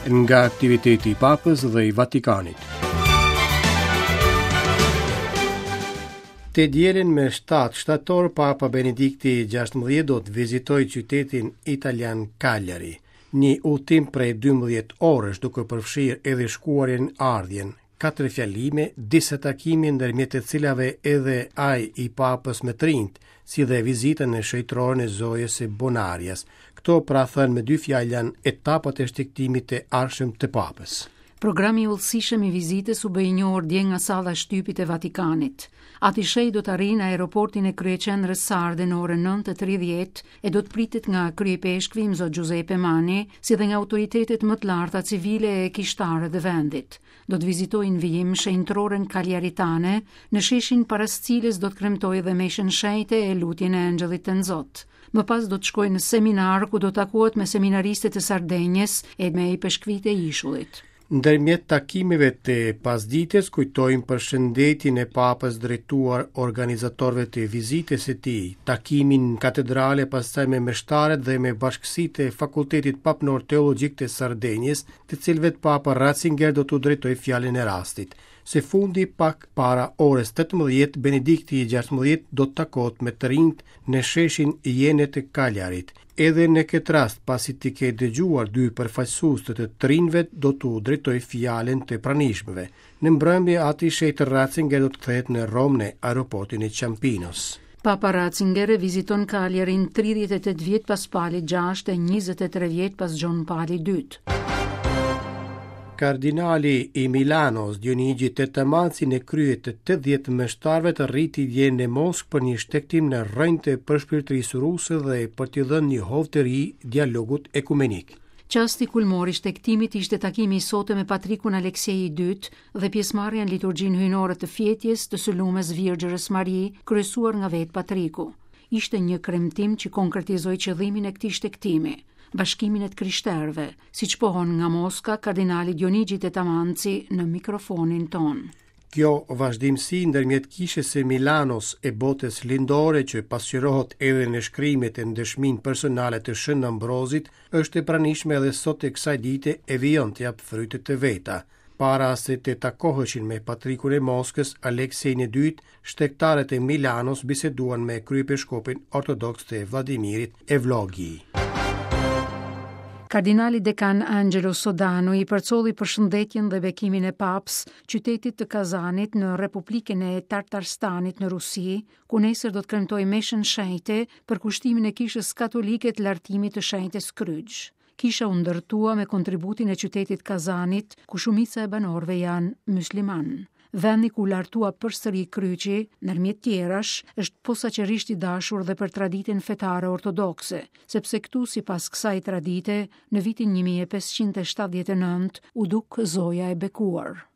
Nga aktiviteti i Papës dhe i Vatikanit. Të dielën me 7 shtator, Papa Benedikti XVI do të vizitojë qytetin italian Cagliari. Një udhëtim prej 12 orësh duke përfshirë edhe shkuarjen ardhjen, katër fjalime, disa takime ndërmjet të cilave edhe ai i Papës me të rinjtë, si dhe vizita në shenjtëroren e Zojës së Bonarias. Këto pra thënë me dy fjalë janë etapat e shtegtimit të ardhshëm të Papës. Programi i hollësishëm i vizitës u bë i njohur dje nga salla e shtypit e Vatikanit. Ati i Shenjtë do të arrijë në aeroportin e kryeqendrës sarde në orën 9:30 e do të pritet nga kryeipeshkvi Imzot Giuseppe Manni, si dhe nga autoritetet më të larta civile e kishtare të vendit. Do të vizitojë në vijim shenjtëroren Kaljaritane, në sheshin para së cilës do të kremtojë dhe meshën shenjte e lutjen e Engjëllit Tënzot. Më pas do të shkojë në seminar ku do të takohet me seminaristët e Sardenjës e me ipeshkvijtë e ishullit. Ndërmjet takimeve të pasdites kujtojmë përshëndetjen e Papës drejtuar organizatorëve të vizitës së tij, takimin në katedrale pastaj me meshtarët dhe me bashkësitë e Fakultetit Papnor Teologjik të Sardenjës, të cilëve Papa Ratzinger do t'u drejtojë fjalën e rastit. Së fundi, pak para orës 18, Benedikti i 16 do të takohet me të rinjtë në sheshin Jene të Kaljarit. Edhe në këtë rast, pasi të ketë dëgjuar dy përfaqësues të të rinjve, do t'u drejtojë fjalën të pranishmëve. Në mbrëmje, Ati i Shenjtë Ratzinger do të kthehet në Romë në aeroportin e Ciampinos. Papa Ratzinger e viziton Cagliarin 38 vjet pas Palit VI e 23 vjet pas Gjon Palit II. Kardinali i Milanos, Dionigi Tettamanzi në krye të 80 meshtarëve arriti dje në Moskë për një shtegtim në rrënjë të përshpirtërisë ruse dhe për t'i dhënë një hov të ri dialogut ekumenik. Çasti kulmor i shtegtimit ishte takimi i sotëm me Patrikun Aleksej i II dhe pjesëmarrja në liturgjinë hyjnore të fjetjes të së Lumes Virgjërës Mari, kryesuar nga vetë Patriku. Ishte një kremtim që konkretizoi qëllimin e këtij shtegtimi, bashkimin e të krishterëve, siç pohon nga Moska kardinali Dionigi Tettamanzi në mikrofonin tonë. Kjo vazhdimësi ndërmjet Kishës së Milanos e botës lindore që pasqyrohet edhe në shkrimet e në dëshminë personale të Shën Ambrozit, është e pranishme edhe sot e kësaj dite e vijon të japë frytet e veta. Para se të takoheshin me Patrikun e Moskës, Aleksejin e Dytë, shtegtarët e Milanos biseduan me kryepeshkopin ortodoks të Vladimirit, Evlogij. Kardinali dekan Angelo Sodano i përcolli përshëndetjen dhe bekimin e Papës qytetit të Kazanit në Republikën e Tartarstanit në Rusi, ku nesër do të kremtojë meshën shenjte përkushtimin e Kishës Katolike të lartimit të shenjtes Kryq. Kisha u ndërtua me kontributin e qytetit Kazanit, ku shumica e banorëve janë myslimanë. Vendi ku u lartua përsëri kryqi, ndërmjet tjerash, është posaçërisht i dashur dhe për traditën fetare ortodokse, sepse këtu sipas kësaj tradite, në vitin 1579 u duk Zoja e Bekuar.